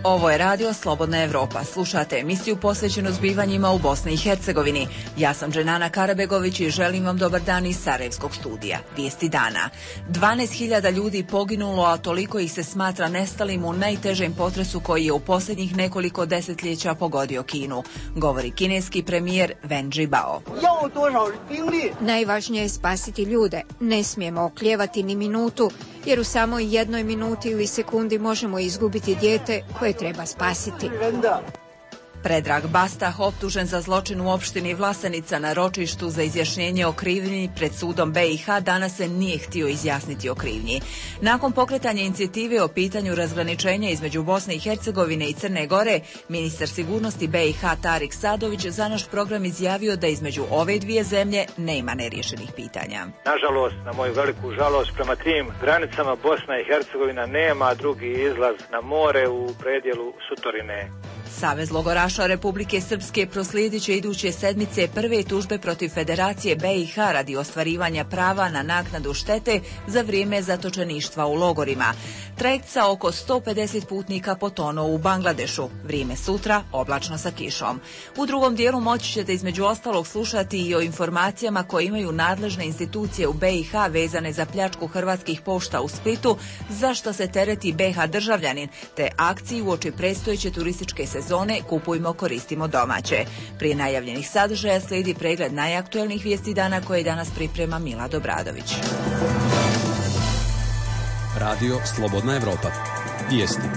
Ovo je radio Slobodna Evropa. Slušate emisiju posvećenu zbivanjima u Bosni i Hercegovini. Ja sam Dženana Karabegović i želim vam dobar dan iz Sarajevskog studija. Vijesti dana. 12.000 ljudi poginulo, a toliko ih se smatra nestalim u najtežem potresu koji je u posljednjih nekoliko desetljeća pogodio Kinu, govori kineski premijer Wen Jiabao. Najvažnije je spasiti ljude. Ne smijemo oklijevati ni minutu, jer u samoj jednoj minuti ili sekundi možemo izgubiti dijete koje treba spasiti. Predrag Bastah, optužen za zločin u opštini Vlasenica na ročištu za izjašnjenje o krivnji pred sudom BiH, danas se nije htio izjasniti o krivnji. Nakon pokretanja inicijative o pitanju razgraničenja između Bosne i Hercegovine i Crne Gore, ministar sigurnosti BiH Tarik Sadović za naš program izjavio da između ove dvije zemlje nema neriješenih pitanja. Nažalost, na moju veliku žalost, prema tim granicama Bosna i Hercegovina nema drugi izlaz na more u predjelu Sutorine. Savez logoraša Republike Srpske proslijedit će iduće sedmice prve tužbe protiv Federacije BiH radi ostvarivanja prava na naknadu štete za vrijeme zatočeništva u logorima. Trajekt sa oko 150 putnika potonuo u Bangladešu. Vrijeme sutra oblačno sa kišom. U drugom dijelu moći ćete između ostalog slušati i o informacijama koje imaju nadležne institucije u BiH vezane za pljačku hrvatskih pošta u Splitu, za što se tereti BiH državljanin, te akciji uoči predstojeće turističke sezone Kupujmo, koristimo domaće. Prije najavljenih sadržaja slijedi pregled najaktuelnijih vijesti dana koje danas priprema Mila Dobradović. Radio Slobodna Evropa. Vijesti.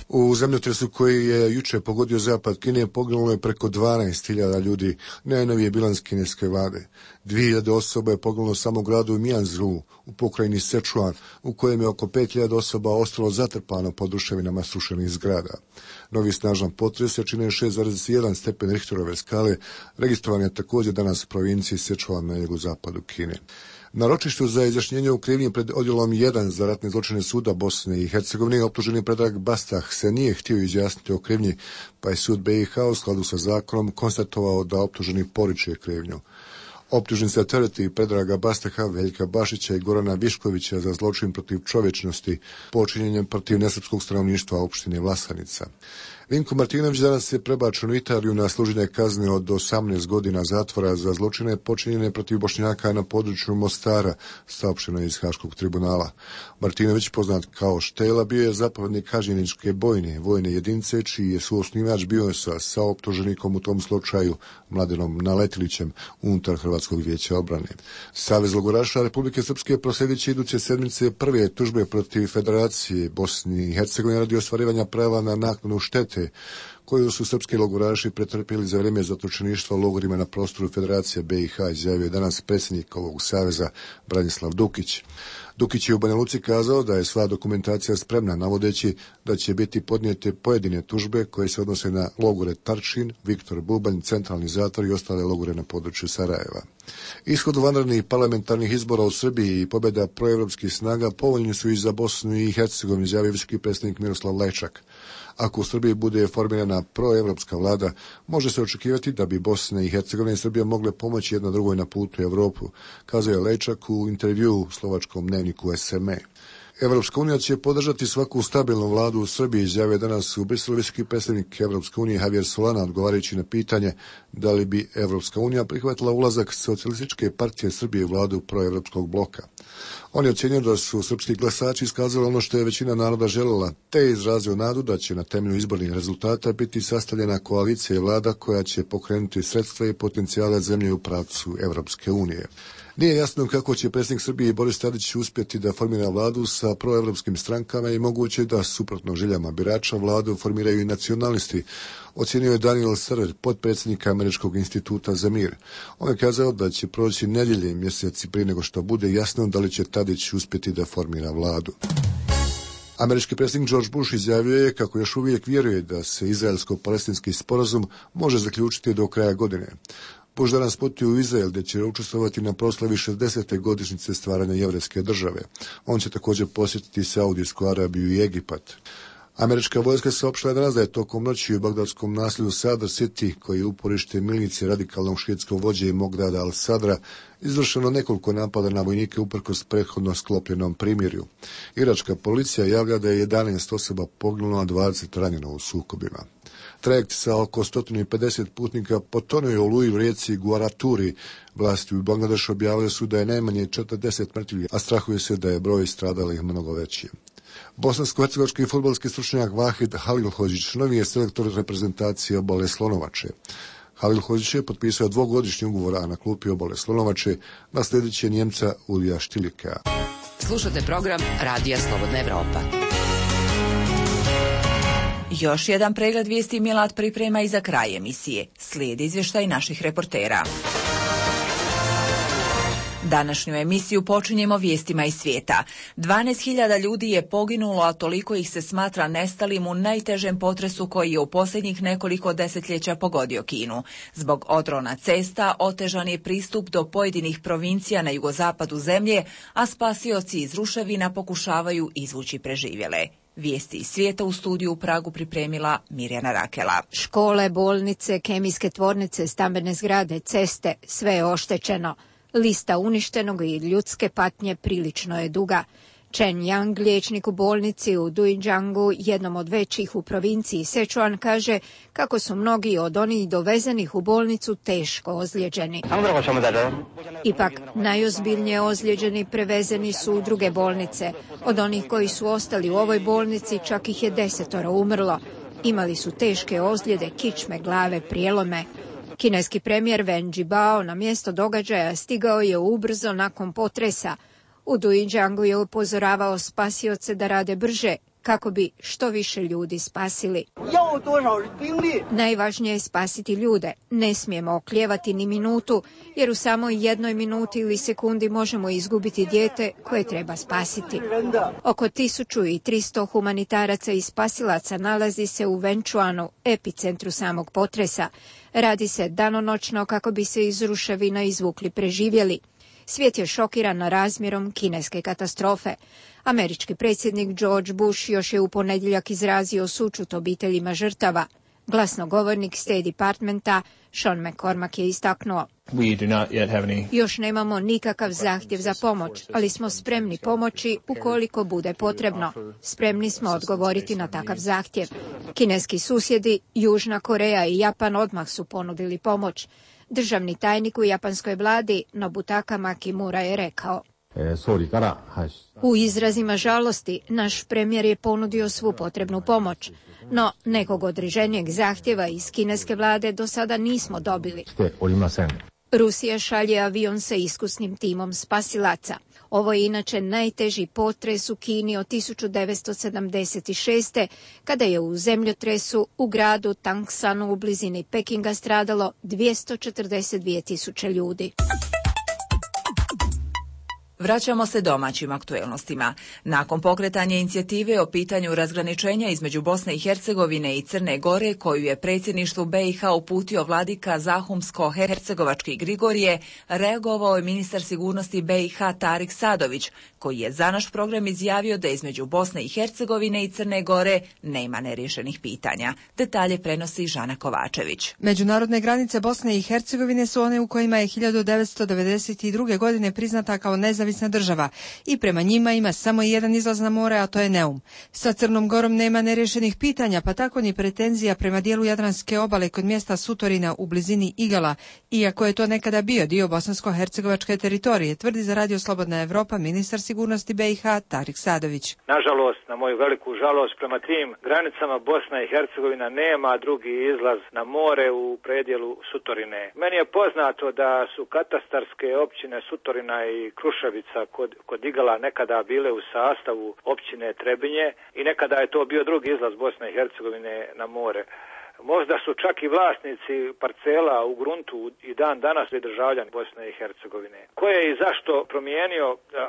U zemljotresu koji je juče pogodio zapad Kine poginulo je preko 12.000 ljudi, najnoviji bilans kineske vlade. 2.000 osoba je poginulo samo u gradu Mianzhu u pokrajini Sichuan, u kojem je oko 5.000 osoba ostalo zatrpano pod ruševinama srušenih zgrada. Novi snažan potres jačine 6,1 stepen Richterove skale registrovan je također danas u provinciji Sichuan na jugozapadu Kine. Na ročištu za izjašnjenje u krivnji pred odjelom 1 za ratne zločine suda Bosne i Hercegovine optuženi Predrag Bastah se nije htio izjasniti o krivnji, pa je sud BiH u skladu sa zakonom konstatovao da optuženi poriče krivnju. Optužen se tereti Predraga Bastaha, Veljka Bašića i Gorana Viškovića za zločin protiv čovječnosti počinjenjem protiv nesrpskog stanovništva opštine Vlasanica. Vinko Martinović danas je prebačen u Italiju na služenje kazne od 18 godina zatvora za zločine počinjene protiv Bošnjaka na području Mostara, saopšteno iz Haškog tribunala. Martinović, poznat kao Štela, bio je zapovjednik Kažiničke bojne vojne jedinice, čiji je suosnivač bio sa optuženikom u tom slučaju Mladenom Naletilićem unutar Hrvatskog vijeća obrane. Savez logoraša Republike Srpske proslijedit će iduće sedmice prve tužbe protiv Federacije Bosne i Hercegovine radi ostvarivanja prava na naknadu štete koju su srpski logoraši pretrpjeli za vrijeme zatočeništva u logorima na prostoru Federacije BiH, izjavio danas predsjednik ovog saveza Branislav Dukić. Dukić je u Banja Luci kazao da je sva dokumentacija spremna, navodeći da će biti podnijete pojedine tužbe koje se odnose na logore Tarčin, Viktor Bubanj, Centralni zatvor i ostale logore na području Sarajeva. Ishod vanrednih parlamentarnih izbora u Srbiji i pobjeda proevropskih snaga povoljni su i za Bosnu i Hercegovinu, izjavio visoki predstavnik Miroslav Lajčak. Ako u Srbiji bude formirana proevropska vlada, može se očekivati da bi Bosna i Hercegovina i Srbija mogle pomoći jedna drugoj na putu u Evropu, kazao je Lejčak u intervjuu u slovačkom dnevniku SME. Evropska unija će podržati svaku stabilnu vladu u Srbiji, izjavio danas u Briselu visoki predstavnik Evropske unije Javier Solana, odgovarajući na pitanje da li bi Evropska unija prihvatila ulazak Socijalističke partije Srbije u vladu proevropskog bloka. On je ocjenio da su srpski glasači iskazali ono što je većina naroda željela, te je izrazio nadu da će na temelju izbornih rezultata biti sastavljena koalicija i vlada koja će pokrenuti sredstva i potencijale zemlje u pravcu Evropske unije. Nije jasno kako će predsjednik Srbije Boris Tadić uspjeti da formira vladu sa proevropskim strankama i moguće da, suprotno željama birača, vladu formiraju i nacionalisti, ocjenio je Daniel Serer, potpredsjednik Američkog instituta za mir. On je kazao da će proći nedjelje i mjeseci prije nego što bude jasno da li će Tadić uspjeti da formira vladu. Američki predsjednik George Bush izjavio je kako još uvijek vjeruje da se izraelsko-palestinski sporazum može zaključiti do kraja godine. Bush danas putuje u Izrael gdje će učestvovati na proslavi 60. godišnjice stvaranja jevrejske države. On će također posjetiti Saudijsku Arabiju i Egipat. Američka vojska saopštila danas da je tokom noći u bagdadskom naselju Sadr City, koji je uporište milicije radikalnog šiitskog vođe Mogdada al-Sadra, izvršeno nekoliko napada na vojnike uprkos prethodno sklopljenom primirju. Iračka policija javlja da je 11 osoba poginulo, a 20 ranjeno u sukobima. Trajekt sa oko 150 putnika potonuo je u oluji u rijeci Guaraturi. Vlasti u Bangladešu objavili su da je najmanje 40 mrtvih, a strahuje se da je broj stradalih mnogo veći. Bosansko-hercegovački fudbalski stručnjak Vahid Halilhodžić novi je selektor reprezentacije Obale Slonovače. Halilhodžić je potpisao 2-godišnji ugovor, a na klupi Obale Slonovače naslijedit će Njemca Ulija Štilika. Slušate program Radija Slobodna Evropa. Još jedan pregled vijesti Milad priprema i za kraj emisije. Slijedi izvještaj naših reportera. Današnju emisiju počinjemo vijestima iz svijeta. 12.000 ljudi je poginulo, a toliko ih se smatra nestalim u najtežem potresu koji je u posljednjih nekoliko desetljeća pogodio Kinu. Zbog odrona cesta otežan je pristup do pojedinih provincija na jugozapadu zemlje, a spasioci iz ruševina pokušavaju izvući preživjele. Vijesti iz svijeta u studiju u Pragu pripremila Mirjana Rakela. Škole, bolnice, kemijske tvornice, stambene zgrade, ceste, sve je oštećeno. Lista uništenog i ljudske patnje prilično je duga. Chen Yang, liječnik u bolnici u Duinjiangu, jednom od većih u provinciji Sichuan, kaže kako su mnogi od onih dovezenih u bolnicu teško ozlijeđeni. Ipak, najozbiljnije ozlijeđeni prevezeni su u druge bolnice. Od onih koji su ostali u ovoj bolnici čak ih je 10 umrlo. Imali su teške ozljede, kičme, glave, prijelome. Kineski premijer Wen Jiabao na mjesto događaja stigao je ubrzo nakon potresa. U Duinjiangu je upozoravao spasioce da rade brže kako bi što više ljudi spasili. Najvažnije je spasiti ljude. Ne smijemo oklijevati ni minutu, jer u samoj jednoj minuti ili sekundi možemo izgubiti dijete koje treba spasiti. Oko 1300 humanitaraca i spasilaca nalazi se u Wenchuanu, epicentru samog potresa. Radi se danonoćno kako bi se iz ruševina izvukli preživjeli. Svijet je šokiran razmjerom kineske katastrofe. Američki predsjednik George Bush još je u ponedjeljak izrazio sućut obiteljima žrtava. Glasnogovornik State Departmenta Sean McCormack je istaknuo: Još nemamo nikakav zahtjev za pomoć, ali smo spremni pomoći ukoliko bude potrebno. Spremni smo odgovoriti na takav zahtjev. Kineski susjedi, Južna Koreja i Japan odmah su ponudili pomoć. Državni tajnik u japanskoj vladi Nobutaka Makimura je rekao: U izrazima žalosti, naš premijer je ponudio svu potrebnu pomoć, no nekog određenijeg zahtjeva iz kineske vlade do sada nismo dobili. Rusija šalje avion sa iskusnim timom spasilaca. Ovo je inače najteži potres u Kini od 1976. kada je u zemljotresu u gradu Tangsanu u blizini Pekinga stradalo 242.000 ljudi. Vraćamo se domaćim aktuelnostima. Nakon pokretanja inicijative o pitanju razgraničenja između Bosne i Hercegovine i Crne Gore, koju je predsjedništvu BiH uputio vladika Zahumsko-hercegovački Grigorije, reagovao je ministar sigurnosti BiH Tarik Sadović, koji je za naš program izjavio da između Bosne i Hercegovine i Crne Gore nema neriješenih pitanja. Detalje prenosi Žana Kovačević. Međunarodne granice Bosne i Hercegovine su one u kojima je 1992. godine priznata kao nezavisna država i prema njima ima samo jedan izlaz na more, a to je Neum. Sa Crnom Gorom nema nerješenih pitanja, pa tako ni pretenzija prema dijelu Jadranske obale kod mjesta Sutorina u blizini Igala, iako je to nekada bio dio bosansko-hercegovačke teritorije, tvrdi za Radio Slobodna Evropa ministar sigurnosti BiH Tarik Sadović. Nažalost, na moju veliku žalost, prema tim granicama Bosna i Hercegovina nema drugi izlaz na more u predjelu Sutorine. Meni je poznato da su katastarske općine Sutorina i Kruševica kod Igala nekada bile u sastavu općine Trebinje i nekada je to bio drugi izlaz Bosne i Hercegovine na more. Možda su čak i vlasnici parcela u gruntu i dan danas državljani Bosne i Hercegovine. Ko je i zašto promijenio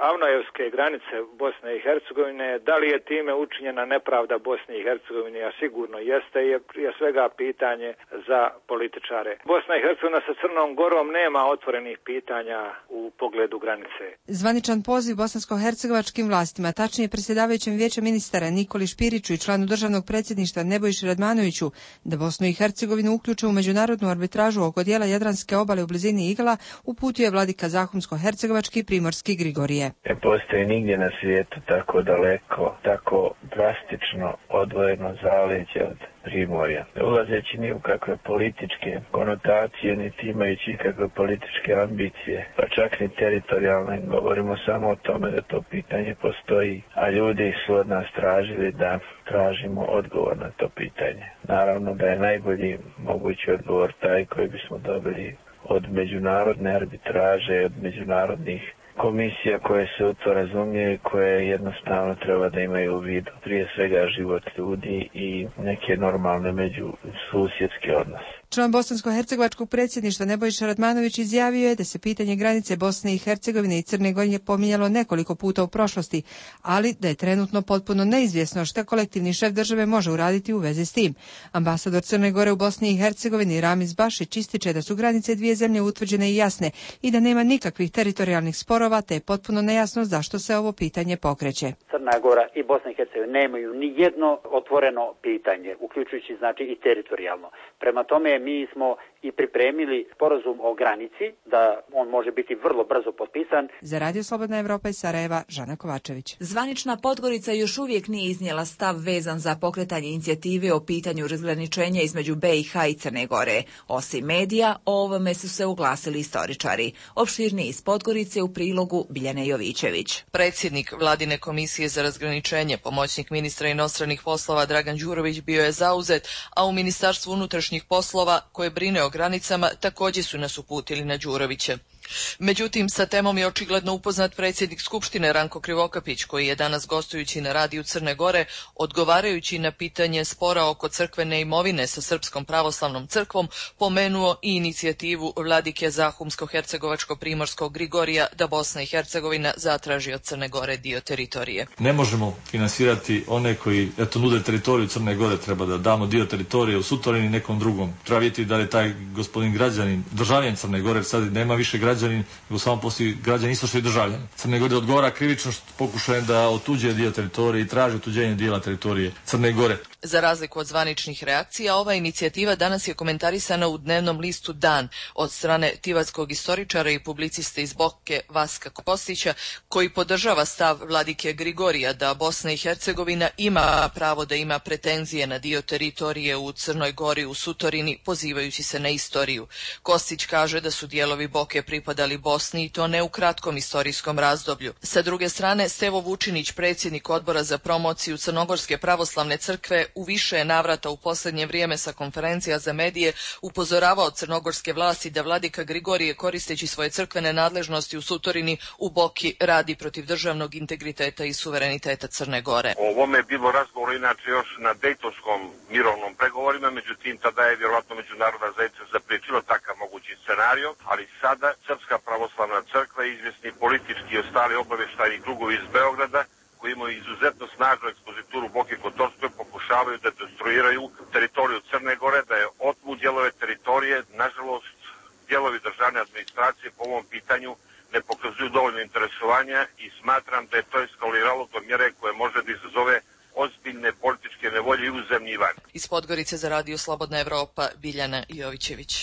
Avnojevske granice Bosne i Hercegovine, da li je time učinjena nepravda Bosne i Hercegovine, a sigurno jeste, je prije svega pitanje za političare. Bosna i Hercegovina sa Crnom Gorom nema otvorenih pitanja u pogledu granice. Zvaničan poziv bosansko-hercegovačkim vlastima, tačnije predsjedavajućem vijeća ministara Nikoli Špiriću i članu državnog predsjedništva Nebojši Radmanoviću da Bosnu i Hercegovinu uključe u međunarodnu arbitražu oko dijela Jadranske obale u blizini Igala, uputio je vladika Zahumsko-hercegovački Primorski Grigorije. Ne postoji nigdje na svijetu tako daleko, tako drastično odvojeno zaleđe od Primorja. Ne ulazeći ni u kakve političke konotacije, niti imajući kakve političke ambicije, pa čak ni teritorijalne, govorimo samo o tome da to pitanje postoji, a ljudi su od nas tražili da tražimo odgovor na to pitanje. Naravno da je najbolji mogući odgovor taj koji bismo dobili od međunarodne arbitraže, od međunarodnih komisija koje se u to razumije, koje jednostavno treba da imaju u vidu prije svega život ljudi i neke normalne međususjedske odnose. Član bosansko-hercegovačkog predsjedništva Nebojša Radmanović izjavio je da se pitanje granice Bosne i Hercegovine i Crne Gore pominjalo nekoliko puta u prošlosti, ali da je trenutno potpuno neizvjesno šta kolektivni šef države može uraditi u vezi s tim. Ambasador Crne Gore u Bosni i Hercegovini Ramiz Bašić ističe da su granice dvije zemlje utvrđene i jasne i da nema nikakvih teritorijalnih sporova, te je potpuno nejasno zašto se ovo pitanje pokreće. Crna Gora i Bosna i Hercegovina nemaju ni jedno otvoreno pitanje, uključujući znači i teritorijalno. Prema tome mi smo i pripremili sporazum o granici, da on može biti vrlo brzo potpisan. Za Radio Slobodna Evropa iz Sarajeva, Žana Kovačević. Zvanična Podgorica još uvijek nije iznijela stav vezan za pokretanje inicijative o pitanju razgraničenja između BiH i Crne Gore. Osim medija, o ovome su se uglasili istoričari. Opširniji iz Podgorice u prilogu Biljane Jovićević. Predsjednik Vladine komisije za razgraničenje, pomoćnik ministra inostranih poslova Dragan Đurović bio je zauzet, a u Ministarstvu unutrašnjih poslova koje brine o granicama također su nas uputili na Đurovića. Međutim, sa temom je očigledno upoznat predsjednik Skupštine Ranko Krivokapić, koji je danas gostujući na radiju Crne Gore, odgovarajući na pitanje spora oko crkvene imovine sa Srpskom pravoslavnom crkvom, pomenuo i inicijativu vladike Zahumsko-hercegovačko-primorskog Grigorija da Bosna i Hercegovina zatraži od Crne Gore dio teritorije. Ne možemo finansirati one koji nude teritoriju Crne Gore, treba da damo dio teritorije u Sutorini nekom drugom. Treba vidjeti da je taj gospodin građanin, državljan Crne Gore, sad nema više građanin, nego samo postoji građani isto što i državljani. Crne Gore odgovara krivično što pokušaje da otuđe dio teritorije i traži otuđenje dijela teritorije Crne Gore. Za razliku od zvaničnih reakcija, ova inicijativa danas je komentarisana u dnevnom listu Dan od strane tivatskog istoričara i publiciste iz Boke Vaska Kostića, koji podržava stav vladike Grigorija da Bosna i Hercegovina ima pravo da ima pretenzije na dio teritorije u Crnoj Gori u Sutorini, pozivajući se na istoriju. Kostić kaže da su dijelovi Boke pripadali Bosni i to ne u kratkom istorijskom razdoblju. Sa druge strane, Stevo Vučinić, predsjednik odbora za promociju Crnogorske pravoslavne crkve, u više navrata u posljednje vrijeme sa konferencija za medije upozoravao crnogorske vlasti da vladika Grigorije, koristeći svoje crkvene nadležnosti u Sutorini, u Boki radi protiv državnog integriteta i suvereniteta Crne Gore. O ovome je bilo razgovor inače još na Dejtonskom mirovnom pregovorima, međutim tada je vjerojatno međunarodna zajednica zapriječila takav mogući scenario, ali sada Srpska pravoslavna crkva i izvjesni politički i ostali obavještajni krugovi iz Beograda, koji imaju izuzetno snažnu ekspozituru Boke Kotorskoj, pokušavaju da destruiraju teritoriju Crne Gore, da je otmu dijelove teritorije. Nažalost, dijelovi državne administracije po ovom pitanju ne pokazuju dovoljno interesovanja i smatram da je to eskaliralo do mjere koje može da izazove ozbiljne političke nevolje i u zemlji i van. Iz Podgorice za Radio Slobodna Evropa, Biljana Jovićević.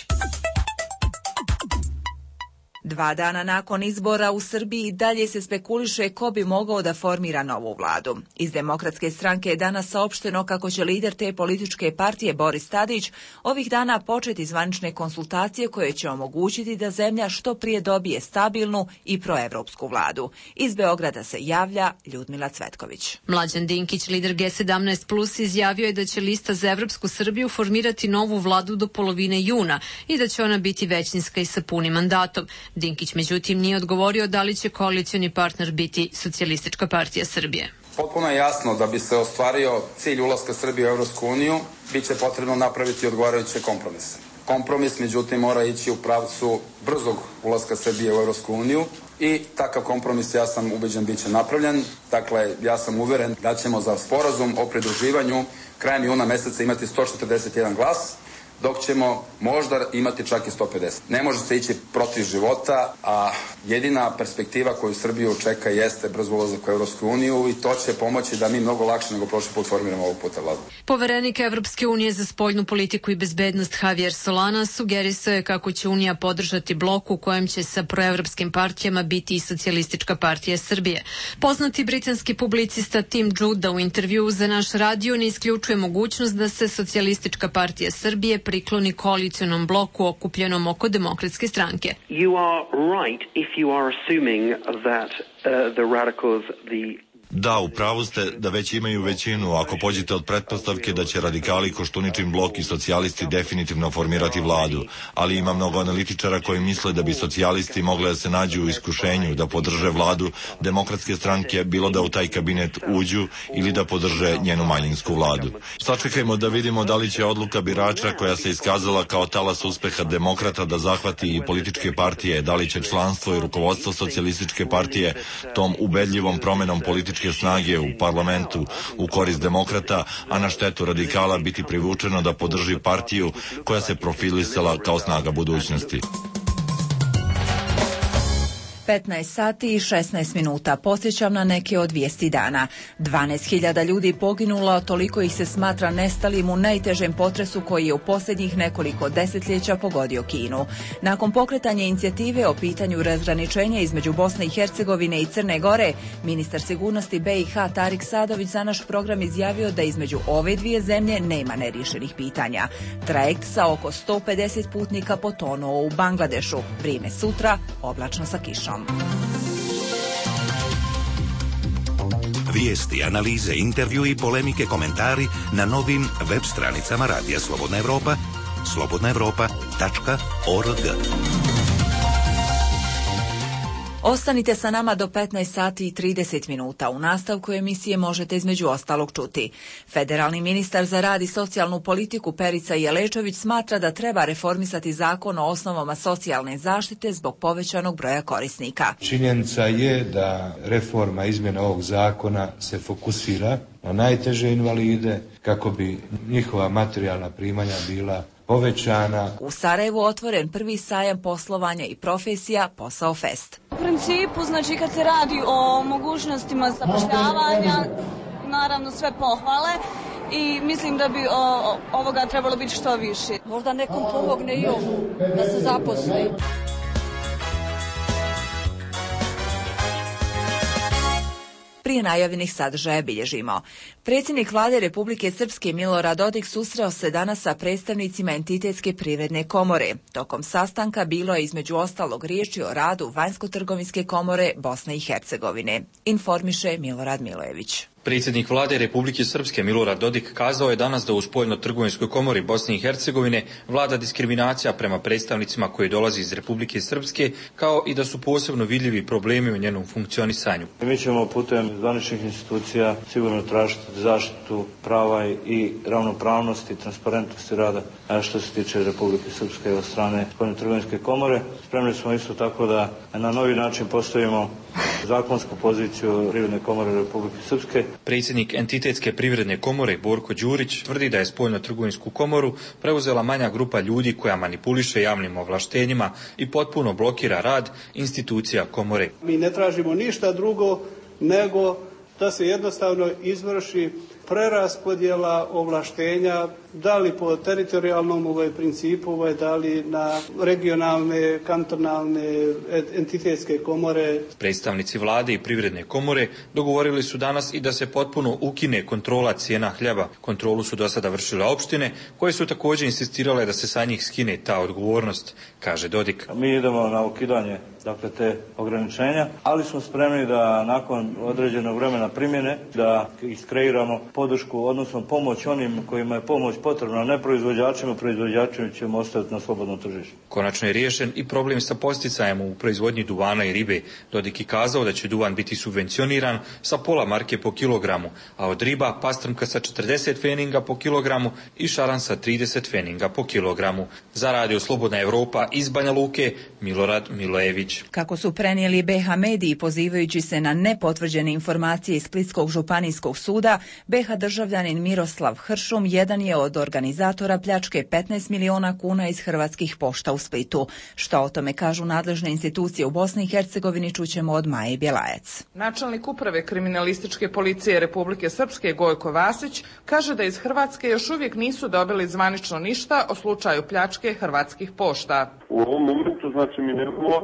2 dana nakon izbora u Srbiji dalje se spekuliše ko bi mogao da formira novu vladu. Iz Demokratske stranke je danas saopšteno kako će lider te političke partije Boris Tadić ovih dana početi zvanične konsultacije koje će omogućiti da zemlja što prije dobije stabilnu i proevropsku vladu. Iz Beograda se javlja Ljudmila Cvetković. Mlađan Dinkić, lider G17+, izjavio je da će lista za Evropsku Srbiju formirati novu vladu do polovine juna i da će ona biti većinska i sa punim mandatom. Dinkić međutim nije odgovorio da li će koalicioni partner biti Socijalistička partija Srbije. Potpuno je jasno da bi se ostvario cilj ulaska Srbije u Evropsku uniju, bit će potrebno napraviti odgovarajuće kompromise. Kompromis, međutim, mora ići u pravcu brzog ulaska Srbije u Evropsku uniju i takav kompromis, ja sam ubeđen, bit će napravljen. Dakle, ja sam uveren da ćemo za sporazum o pridruživanju krajem juna meseca imati 141 glas, dok ćemo možda imati čak i 150. Ne može se ići protiv života, a jedina perspektiva koju Srbiju čeka jeste brz ulazak u Evropsku uniju i to će pomoći da mi mnogo lakše nego prošli put formiramo ovog puta vladu. Poverenik Evropske unije za spoljnu politiku i bezbednost Javier Solana sugerisao je kako će Unija podržati blok u kojem će sa proevropskim partijama biti i Socijalistička partija Srbije. Poznati britanski publicista Tim Juda u intervjuu za naš radio ne isključuje mogućnost da se Socijalistička partija Srbije prikloni koalicionom bloku okupljenom oko Demokratske stranke. You are right if you are assuming that the radicals, Da, u pravu ste da već imaju većinu ako pođete od pretpostavke da će radikali, Koštuničin blok i socijalisti definitivno formirati vladu, ali ima mnogo analitičara koji misle da bi socijalisti mogli da se nađu u iskušenju da podrže vladu Demokratske stranke, bilo da u taj kabinet uđu ili da podrže njenu manjinsku vladu. Sačekajmo da vidimo da li će odluka birača koja se iskazala kao talas uspeha demokrata da zahvati i političke partije, da li će članstvo i rukovodstvo Socijalističke partije tom ubedljivom promenom političke snage u parlamentu u korist demokrata, a na štetu radikala biti privučeno da podrži partiju koja se profilisala kao snaga budućnosti. 15 sati i 16 minuta. Podsjećam na neke od vijesti dana. 12.000 ljudi poginulo, toliko ih se smatra nestalim u najtežem potresu koji je u posljednjih nekoliko desetljeća pogodio Kinu. Nakon pokretanja inicijative o pitanju razgraničenja između Bosne i Hercegovine i Crne Gore, ministar sigurnosti BiH Tarik Sadović za naš program izjavio da između ove dvije zemlje nema neriješenih pitanja. Trajekt sa oko 150 putnika potonuo u Bangladešu. Vrijeme sutra, oblačno sa kišom. Vijesti, analize, intervju i polemike, komentari na novim web stranicama Radija Slobodna Evropa, slobodnaevropa.org. Ostanite sa nama do 15 sati i 30 minuta. U nastavku emisije možete između ostalog čuti. Federalni ministar za rad i socijalnu politiku Perica Jelečević smatra da treba reformisati zakon o osnovama socijalne zaštite zbog povećanog broja korisnika. Činjenica je da reforma izmjena ovog zakona se fokusira na najteže invalide kako bi njihova materijalna primanja bila povećana. U Sarajevu otvoren prvi sajam poslovanja i profesija Posao Fest. U principu, znači kad se radi o mogućnostima zapošljavanja, naravno sve pohvale i mislim da bi ovoga trebalo biti što više. Možda nekom pomogne i ovo, da se zaposli. Prije najavljenih sadržaja bilježimo. Predsjednik Vlade Republike Srpske Milorad Dodik susreo se danas sa predstavnicima Entitetske privredne komore. Tokom sastanka bilo je između ostalog riječi o radu Vanjsko-trgovinske komore Bosne i Hercegovine. Informiše Milorad Milojević. Predsjednik Vlade Republike Srpske Milorad Dodik kazao je danas da u Spoljno-trgovinskoj komori Bosne i Hercegovine vlada diskriminacija prema predstavnicima koji dolazi iz Republike Srpske, kao i da su posebno vidljivi problemi u njenom funkcionisanju. Mi ćemo putem zvaničnih institucija sigurno tražiti zaštitu prava i ravnopravnosti i transparentnosti rada što se tiče Republike Srpske od strane Spoljno-trgovinske komore. Spremni smo isto tako da na novi način postavimo zakonsku poziciju Privredne komore Republike Srpske. Predsjednik Entitetske privredne komore Borko Đurić tvrdi da je Spoljno-trgovinsku komoru preuzela manja grupa ljudi koja manipuliše javnim ovlaštenjima i potpuno blokira rad institucija komore. Mi ne tražimo ništa drugo nego da se jednostavno izvrši preraspodjela ovlaštenja, da li po teritorijalnom principu, da li na regionalne, kantonalne, entitetske komore. Predstavnici vlade i privredne komore dogovorili su danas i da se potpuno ukine kontrola cijena hljeba. Kontrolu su do sada vršile opštine, koje su također insistirale da se sa njih skine ta odgovornost, kaže Dodik. Mi idemo na ukidanje te ograničenja, ali smo spremni da nakon određenog vremena primjene da iskreiramo podršku, odnosno pomoć onim kojima je pomoć potrebna, a ne proizvođačima ćemo ostaviti na slobodno tržište. Konačno je riješen i problem sa posticajem u proizvodnji duvana i ribe. Dodik je kazao da će duvan biti subvencioniran sa pola marke po kilogramu, a od riba pastrmka sa 40 feninga po kilogramu i šaran sa 30 feninga po kilogramu. Za Radio Slobodna Evropa iz Banja Luke, Milorad Milojević. Kako su prenijeli BH mediji pozivajući se na nepotvrđene informacije iz Splitskog županijskog suda, BH državljanin Miroslav Hršum jedan je od organizatora pljačke 15 miliona kuna iz Hrvatskih pošta u Splitu. Što o tome kažu nadležne institucije u Bosni i Hercegovini čućemo od Maje Bjelajac. Načelnik uprave kriminalističke policije Republike Srpske Gojko Vasić kaže da iz Hrvatske još uvijek nisu dobili zvanično ništa o slučaju pljačke Hrvatskih pošta. U ovom momentu znači mi nemamo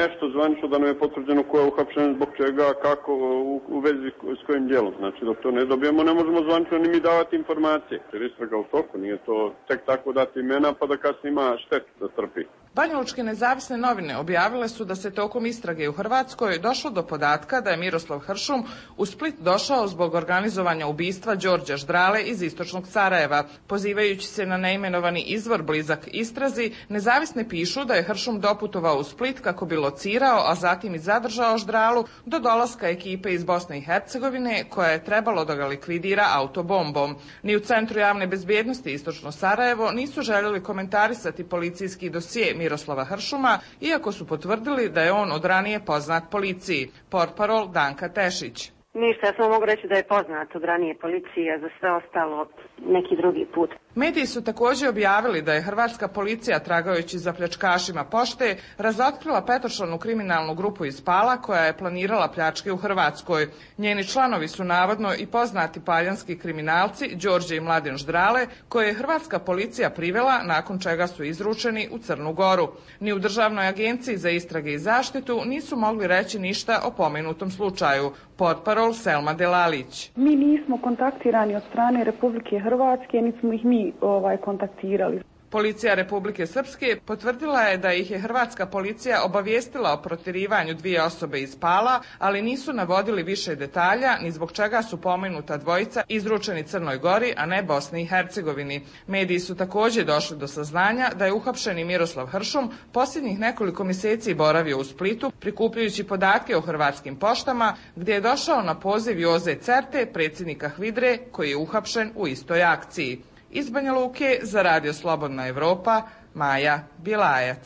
nešto zvanično da nam je potvrđeno ko je uhapšen, zbog čega, kako, u vezi s kojim djelom. Znači dok to ne dobijemo ne možemo zvanično ni mi davati informacije. Jer istraga u toku, nije to tek tako dati imena pa da kasnije ima štetu da trpi. Banjalučke nezavisne novine objavile su da se tokom istrage u Hrvatskoj došlo do podatka da je Miroslav Hršum u Split došao zbog organizovanja ubistva Đorđa Ždrale iz istočnog Sarajeva. Pozivajući se na neimenovani izvor blizak istrazi, nezavisne pišu da je Hršum doputovao u Split kako bi locirao, a zatim i zadržao Ždralu do dolaska ekipe iz Bosne i Hercegovine koja je trebalo da ga likvidira autobombom. Ni u Centru javne bezbjednosti istočno Sarajevo nisu željeli komentarisati policijski dosije Miroslava Hršuma, iako su potvrdili da je on od ranije poznat policiji. Portparol Danka Tešić. Ništa, ja samo mogu reći da je poznat od ranije policije, za sve ostalo neki drugi put. Mediji su također objavili da je hrvatska policija, tragajući za pljačkašima pošte, razotkrila petočlanu kriminalnu grupu iz Pala koja je planirala pljačke u Hrvatskoj. Njeni članovi su navodno i poznati paljanski kriminalci Đorđe i Mladen Ždrale, koje je hrvatska policija privela nakon čega su izručeni u Crnu Goru. Ni u Državnoj agenciji za istrage i zaštitu nisu mogli reći ništa o pomenutom slučaju. Portparol Selma Delalić. Mi nismo kontaktirani od strane Republike Hrvatske, niti smo ih mi kontaktirali. Policija Republike Srpske potvrdila je da ih je hrvatska policija obavijestila o protjerivanju dvije osobe iz Pala, ali nisu navodili više detalja ni zbog čega su pomenuta dvojica izručeni Crnoj Gori, a ne Bosni i Hercegovini. Mediji su također došli do saznanja da je uhapšeni Miroslav Hršum posljednjih nekoliko mjeseci boravio u Splitu prikupljajući podatke o hrvatskim poštama, gdje je došao na poziv Joze Certe, predsjednika HVIDRE, koji je uhapšen u istoj akciji. Iz Banja Luke za Radio Slobodna Evropa, Maja Bjelajac.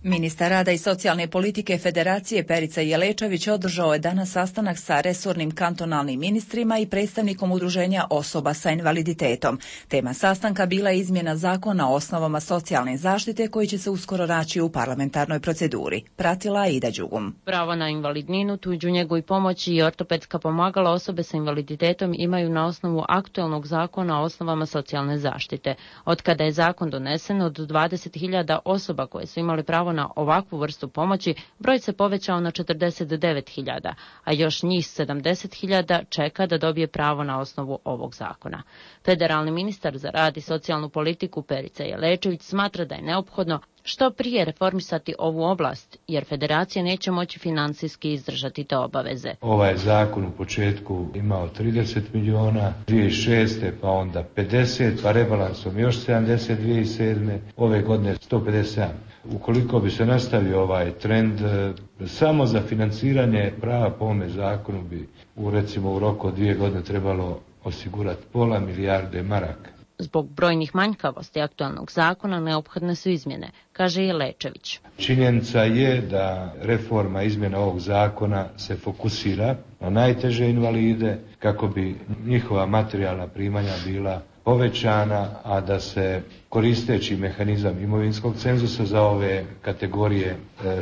Ministar rada i socijalne politike Federacije Perica Jelečević održao je danas sastanak sa resornim kantonalnim ministrima i predstavnikom udruženja osoba sa invaliditetom. Tema sastanka bila je izmjena zakona o osnovama socijalne zaštite koji će se uskoro naći u parlamentarnoj proceduri. Pratila je Ida Đugum. Pravo na invalidninu, tuđu njegu i pomoć i ortopedska pomagala osobe sa invaliditetom imaju na osnovu aktuelnog zakona o osnovama socijalne zaštite. Od kada je zakon donesen, od 20.000 osoba koje su imali pravo na ovakvu vrstu pomoći, broj se povećao na 49.000, a još njih 70.000 čeka da dobije pravo na osnovu ovog zakona. Federalni ministar za rad i socijalnu politiku Perica Jelečević smatra da je neophodno što prije reformisati ovu oblast, jer federacija neće moći financijski izdržati te obaveze. Ovaj zakon u početku imao 30 miliona, 2006. pa onda 50, pa rebalansom još 70 2007. Ove godine 157. Ukoliko bi se nastavio ovaj trend, samo za financiranje prava po ovome zakonu bi recimo u roku od 2 godine trebalo osigurati pola milijarde maraka. Zbog brojnih manjkavosti aktualnog zakona neophodne su izmjene, kaže Jelečević. Činjenica je da reforma izmjena ovog zakona se fokusira na najteže invalide kako bi njihova materijalna primanja bila povećana, a da se koristeći mehanizam imovinskog cenzusa za ove kategorije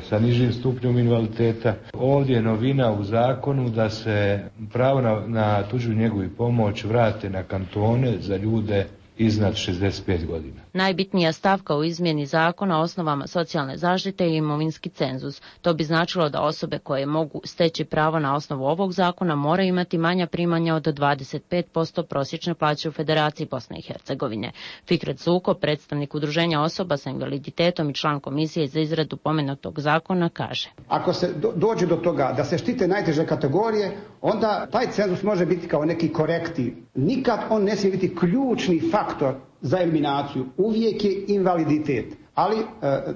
sa nižim stupnjom invaliditeta. Ovdje je novina u zakonu da se pravo na tuđu njegu i pomoć vrate na kantone za ljude iznad 65 godina. Najbitnija stavka u izmjeni zakona o osnovama socijalne zaštite je imovinski cenzus. To bi značilo da osobe koje mogu steći pravo na osnovu ovog zakona moraju imati manja primanja od 25% prosječne plaće u Federaciji Bosne i Hercegovine. Fikret Zuko, predstavnik udruženja osoba sa invaliditetom i član komisije za izradu pomenutog zakona, kaže: Ako se dođe do toga da se štite najteže kategorije, onda taj cenzus može biti kao neki korektiv. Nikad on ne smije biti ključni faktor za eliminaciju. Uvijek je invaliditet. Ali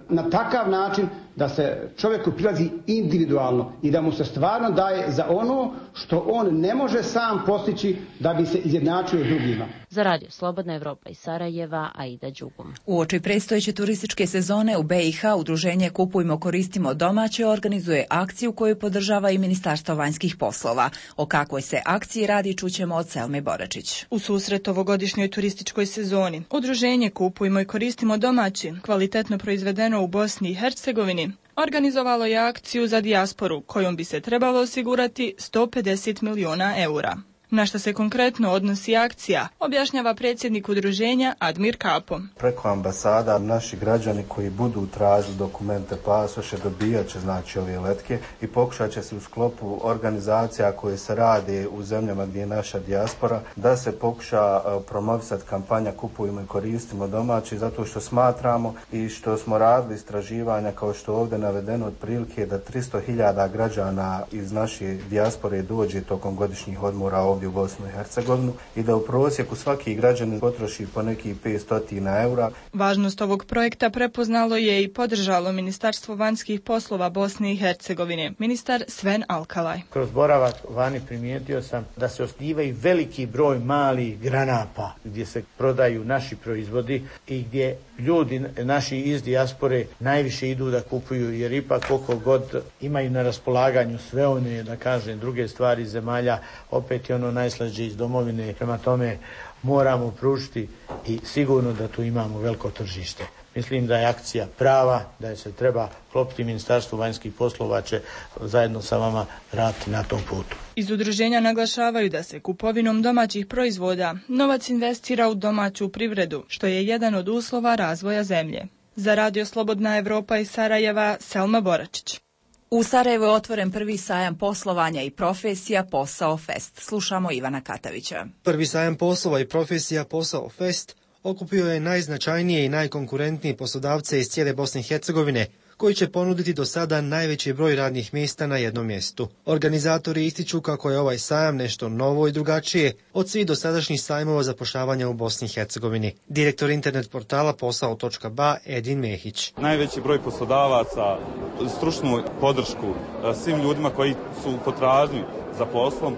na takav način da se čovjeku prilazi individualno i da mu se stvarno daje za ono što on ne može sam postići da bi se izjednačio s drugima. Za Radio Slobodna Evropa iz Sarajeva, Aida Đugum. Uoči predstojeće turističke sezone u BiH udruženje Kupujmo, koristimo domaće organizuje akciju koju podržava i Ministarstvo vanjskih poslova. O kakvoj se akciji radi čućemo od Selme Boračić. U susret ovogodišnjoj turističkoj sezoni udruženje Kupujmo i koristimo domaće, kvalitetno proizvedeno u Bosni i Hercegovini, organizovalo je akciju za dijasporu kojom bi se trebalo osigurati 150 miliona eura. Na što se konkretno odnosi akcija, objašnjava predsjednik udruženja Admir Kapo. Preko ambasada naši građani koji budu tražili dokumente, pasoše, dobijat će znači ove letke i pokušat će se u sklopu organizacija koje se rade u zemljama gdje je naša dijaspora da se pokuša promovisati kampanja Kupujmo i koristimo domaći, zato što smatramo i što smo radili istraživanja kao što je ovdje navedeno otprilike da 300.000 građana iz naše dijaspore dođe tokom godišnjih odmora ovdje u Bosnu i Hercegovinu i da u prosjeku svaki građanin potroši po nekih 500 eura. Važnost ovog projekta prepoznalo je i podržalo Ministarstvo vanjskih poslova Bosne i Hercegovine, ministar Sven Alkalaj. Kroz boravak vani primijetio sam da se osnivaju veliki broj malih granapa gdje se prodaju naši proizvodi i gdje ljudi naši iz dijaspore najviše idu da kupuju, jer ipak koliko god imaju na raspolaganju sve one, da kažem, druge stvari zemalja, opet je ono najslađe iz domovine. Prema tome moramo pružiti i sigurno da tu imamo veliko tržište. Mislim da je akcija prava, da je se treba klopiti. Ministarstvo vanjskih poslova će zajedno sa vama raditi na tom putu. Iz udruženja naglašavaju da se kupovinom domaćih proizvoda novac investira u domaću privredu, što je jedan od uslova razvoja zemlje. Za Radio Slobodna Evropa iz Sarajeva, Selma Boračić. U Sarajevu je otvoren prvi sajam poslovanja i profesija Posao Fest. Slušamo Ivana Katavića. Prvi sajam poslova i profesija Posao Fest okupio je najznačajnije i najkonkurentnije poslodavce iz cijele Bosne i Hercegovine, koji će ponuditi do sada najveći broj radnih mjesta na jednom mjestu. Organizatori ističu kako je ovaj sajam nešto novo i drugačije od svih dosadašnjih sajmova zapošljavanja u Bosni i Hercegovini. Direktor internet portala posao.ba Edin Mehić. Najveći broj poslodavaca, stručnu podršku svim ljudima koji su u potražnji za poslom,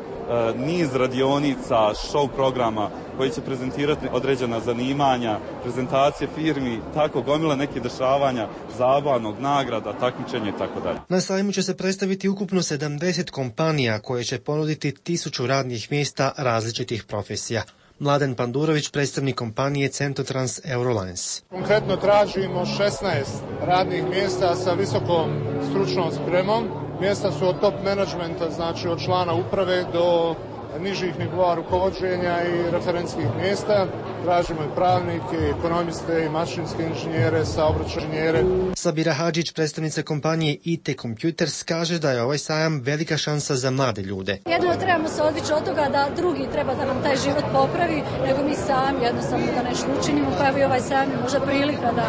niz radionica, show programa koji će prezentirati određena zanimanja, prezentacije firmi, tako gomila nekih dešavanja, zabavnog, nagrada, takmičenja i tako dalje. Na sajmu će se predstaviti ukupno 70 kompanija koje će ponuditi 1000 radnih mjesta različitih profesija. Mladen Pandurović, predstavnik kompanije Centotrans Eurolines. Konkretno tražimo 16 radnih mjesta sa visokom stručnom spremom. Mjesta su od top menadžmenta, znači od člana uprave do nižih nivoa rukovođenja i referentskih mjesta. Tražimo i pravnike, i ekonomiste, i mašinske inženjere, saobraćajne inženjere. Sabira Hadžić, predstavnica kompanije IT Computers, kaže da je ovaj sajam velika šansa za mlade ljude. Jedno trebamo se odvići od toga da drugi treba da nam taj život popravi, nego mi sami jednostavno da nešto učinimo, pa evo i ovaj sajam je možda prilika da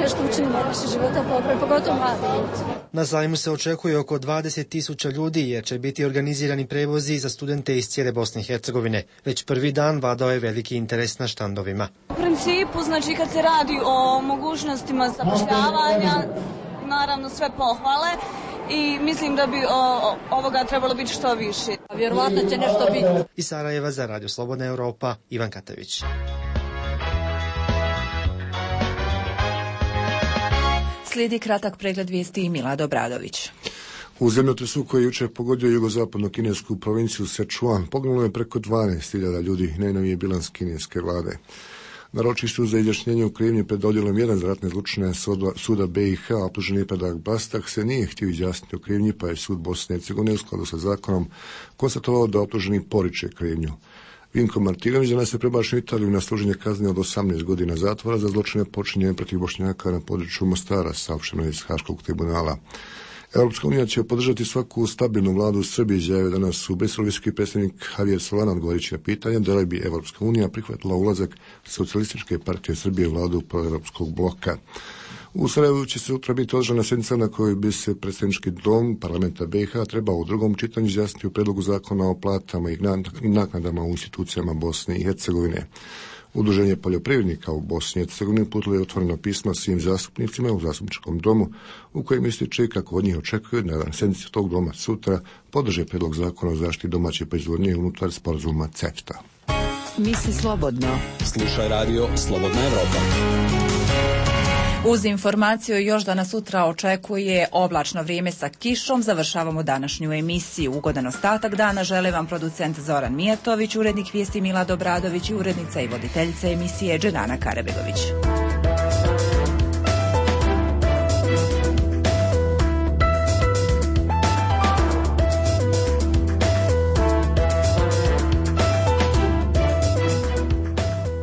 nešto učinimo da naše života popravi, pogotovo mlade ljudi. Na sajmu se očekuje oko 20.000 ljudi jer će biti organizirani prevozi za studente iz cijele Bosne i Hercegovine. Već prvi dan vladao je veliki interes na štandovima. U principu, znači kad se radi o mogućnostima zapošljavanja, naravno sve pohvale i mislim da bi ovoga trebalo biti što više. Vjerovatno će nešto biti. Iz Sarajeva za Radio Slobodna Evropa, Ivan Katavić. Slijedi kratak pregled vijesti i Milad Obradović. U zemljotresu koji je jučer pogodio jugozapadno kinesku provinciju Sichuan poginulo je preko 12.000 ljudi, najnoviji je bilans kineske vlade. Na ročištu za izjašnjenje u krivnji pred odjelom 1 za ratne zločine suda BiH optuženi Predrag Bastak se nije htio izjasniti o krivnji, pa je sud Bosne i Hercegovine u skladu sa zakonom konstatovao da optuženi poriče krivnju. Vinko Martinović danas je prebačen u Italiju na služenje kazne od 18 godina zatvora za zločine počinjene protiv Bošnjaka na području Mostara, saopšteno iz Haškog tribunala. Europska unija će podržati svaku stabilnu vladu u Srbiji, izjavio danas u Briselu visoki predstavnik Javier Solana odgovarajući na pitanje da li bi Europska unija prihvatila ulazak Socijalističke partije Srbije u vladu proevropskog bloka. U Sarajevu će se sutra biti održana sjednica na kojoj bi se predstavnički dom parlamenta BiH trebao u drugom čitanju izjasniti u predlogu zakona o platama i naknadama u institucijama Bosne i Hercegovine. Udruženje poljoprivrednika u Bosni i Hercegovini uputilo je otvoreno pismo svim zastupnicima u zastupničkom domu u kojem ističe kako od njih očekuju da na sjednici tog doma sutra podrže predlog zakona o zaštiti domaće proizvodnje unutar sporazuma CEFTA. Misli slobodno. Slušaj radio Slobodna Evropa. Uz informaciju još da nas sutra očekuje oblačno vrijeme sa kišom, završavamo današnju emisiju. Ugodan ostatak dana žele vam producent Zoran Mijatović, urednik vijesti Milad Obradović i urednica i voditeljica emisije Dženana Karabegović.